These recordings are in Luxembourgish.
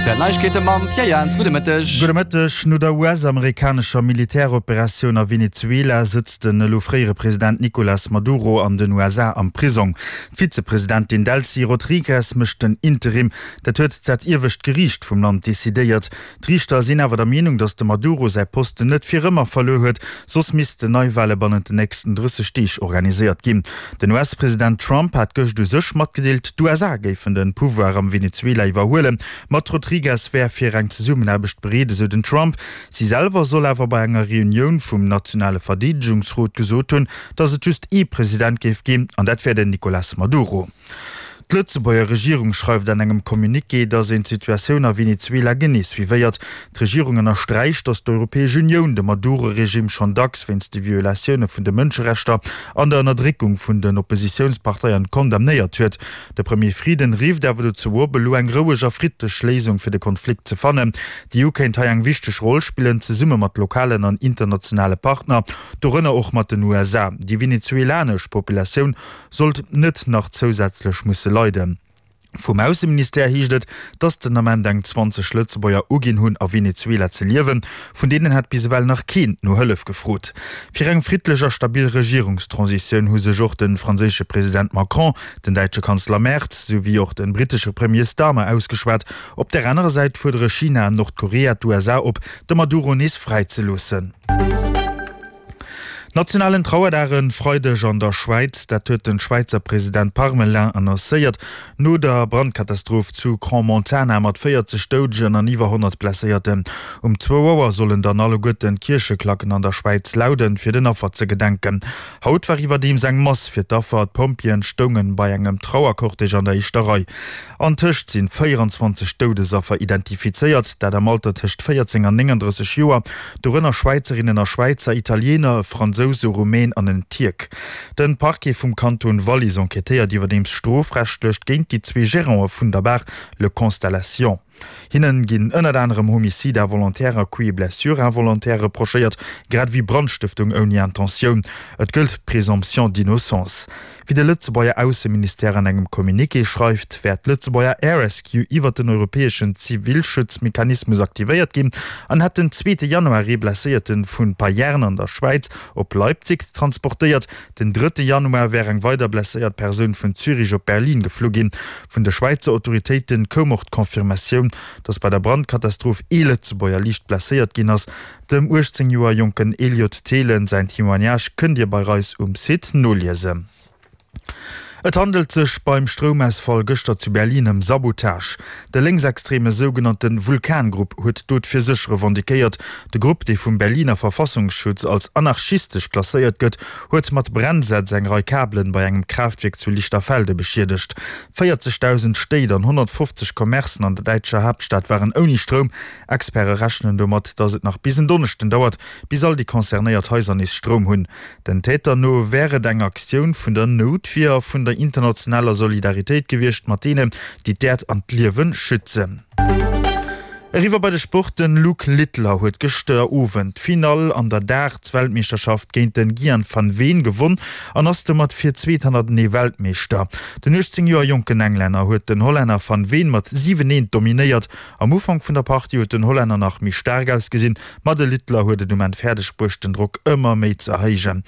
Speziell Neiegkeete mam Pierre Jans. Gudde Mëtteg. Gudde Mëtteg. No der US-amerikanescher Militäroperatioun a Venezuela sëtzt den elo fréiere President Nicolas Maduro an den USA am Prisong. D'Vizepresidentin Delcy Rodriguez mécht den Interim. Dat huet dat iewescht Geriicht vum Land decidéiert. D'Riichter sinn awer der Meenung, datt de Maduro säi Posten net fir ëmmer verluer huet, soss missten Neiwale bannent den nächsten 30 Deeg organiséiert ginn. Den US-President Trump hat gëscht u sech matgedeelt, d'USA géifen de Pouvoir am Venezuela iwwerhuelen, ma d'Rodriguez wär fir eng Zesummenaarbecht bereet, esou den Trump. Si selwer soll awer bei enger Reunioun vum nationale Verdeedegungsrot gesot hunn, datt et just ee President géif ginn, an dat wär den Nicolas Maduro. D'Lëtzebuerger Regierung schreift an engem Communiqué, datt een d'Situatioun a Venezuela genee suivéiert. D'Regierung ënnersträicht, datt d'Europäesch Unioun de Maduro-Regime schonn dacks wéinst de Violatioune vun de Mënscherechter an der Ënnerdréckung vun den Oppositiounsparteien condamnéiert huet. De Premier Frieden rifft awer dozou op, elo eng roueg a friddlech Léisung fir de Konflikt ze fannen. D'EU kéint hei eng wichteg Roll spillen, zesumme mat lokalen an internationale Partner, dorënner och mat den USA. Déi venezuelanesch Populatioun sollt net nach zousätzlech musse leiden. Vum Ausseministère heescht et, datt den Ament eng 20 Lëtzebuerger uginn hunn, a Venezuela ze liewen. Vun deenen hätt bis ewell nach keen no Hëllef gefrot. Fir eng friddlech a stabil Regierungstransitioun hu sech och de franséische President Macron, den däitsche Kanzler Merz, sou wéi och de brittesche Premier Starmer ausgeschwat. Op där anerer Säit fuerdere China an Nordkorea d'USA op, de Maduro nees fräizeloossen. Nationalen Trauerdag e Freideg an der Schwäiz, dat huet de Schwäizer President Parmelin annoncéiert. No der Brandkatastroph zu Crans-Montana mat 40 Doudegen an iwwer 100 Blesséierten. Um zwou Auer sollen dann alleguerten d'Kiercheklacken an der Schwäiz lauden, fir den Affer ze gedenken. Haut war iwwerdeems eng Mass fir d'Affer. D'Pompjeeën stoungen bei engem Trauercortège an der éischter Rei. Antëscht sinn 24 Doudesaffer identifizéiert, dat am Alter tëscht 14 an 39 Joer, dorënner Schwäizerinnen a Schwäizer, Italiener, e Fransous, e Rumän an en Tierk. Den Parquet vum Kanton Wallis enquêtéiert iwwerdeems strofrechtlech géint déi zwee Gerante vun der Bar Le Constellation. Hinnen ginn ënnert anerem Homicide involontaire a Coups et blessures involontaires reprochéiert, grad ewéi Brandstëftung ouni Intentioun. Et gëllt d'Présomption d'innocence. Wéi de Lëtzebuerger Ausseministère an engem Communiqué schreift, wär d'Lëtzebuerger Air Rescue iwwert den europäeschen Zivilschutzmechanismus aktivéiert ginn an hätt den zweete Januar ee Blesséierte vu Payerne an der Schwäiz op Leipzig transportéiert. Den drëtte Januar wär eng weider blesséiert Persoun vun Zürich op Berlin geflu ginn. Vun de Schwäizer Autoritéite koum och d'Confirmatioun, datt bei der Brandkatastroph ee Lëtzebuerger liicht blesséiert ginn ass. Dem 18 Joer jonken Eliot Thelen säin Témoignage kënnt Dir bei eis um Site noliesen. Et handelt sech beim Stroumausfall gëschter zu Berlin ëm Sabotage. De lénksextreme sougenannte Vulkan-Grupp huet d'Dot fir sech revendiquéiert. De Grupp, dee vum Berliner Verfassungsschutz als anarchistesch klasséiert gëtt, huet mat Brennsätz eng Rei Kabelen bei engem Kraaftwierk zu Lichterfelde beschiedegt. 40.000 Stéit an 150 Commercen an der däitscher Haaptstad waren ouni Stroum. Experte rechnen domat, datt et nach bis en Donneschden dauert, bis all déi concernéiert Haiser nees Stroum hunn. Den Täter no wär et eng Aktioun vun der Noutwier a vun der internationaler Solidaritéit gewiescht mat deenen, déi d'Äerd an d'Liewe schützen. Eriwwer bei de Sport, Den Luke Littler huet gëschter Owend d'Finall an der Darts-Weltmeeschterschaft géint den Gian van Veen gewonn an ass domat fir d'zweet hannertenee Weltmeeschter. Den 18 Joer jonken Englänner huet den Hollänner van Veen mat 7, 1 dominéiert Am Ufank vun der Partie huet den Hollänner nach méi staark ausgesinn, ma de Littler huet et um Enn fäerdeg bruecht den Drock ëmmer méi ze erhéijen.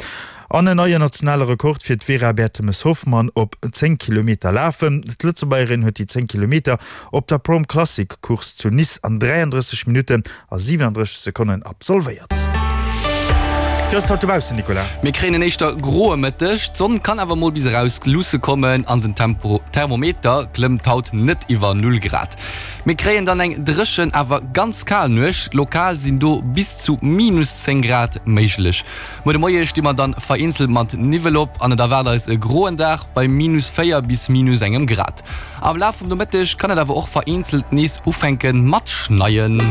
An en neien nationale Rekord fir d'Vera Bertemes-Hoffmann op 10 Kilometer lafen. D'Lëtzebuergerin huet déi 10 Kilometer op der Prom Classic Course zu Nice an 33 Minutten a 37 Sekonnen absolvéiert. Wéi ass et haut dobaussen, Nicolas? Mir kréien en éischter groe Mëtteg, d'Sonn kann awer mol bis eraus luusse kommen an den Thermometer klëmmt haut net iwwer Null Grad. Mir kréien dann eng dréchen awer ganz kal Nuecht, lokal sinn do bis zu minus 10 Grad méiglech. Muer de Moie sti mer dann vereenzelt mat Niwwel op an et erwaart eis e groen Dag bei minus 4 bis minus engem Grad. Am Laf vum Nomëtteg kann et awer och vereenzelt nees ufänke mat schneien.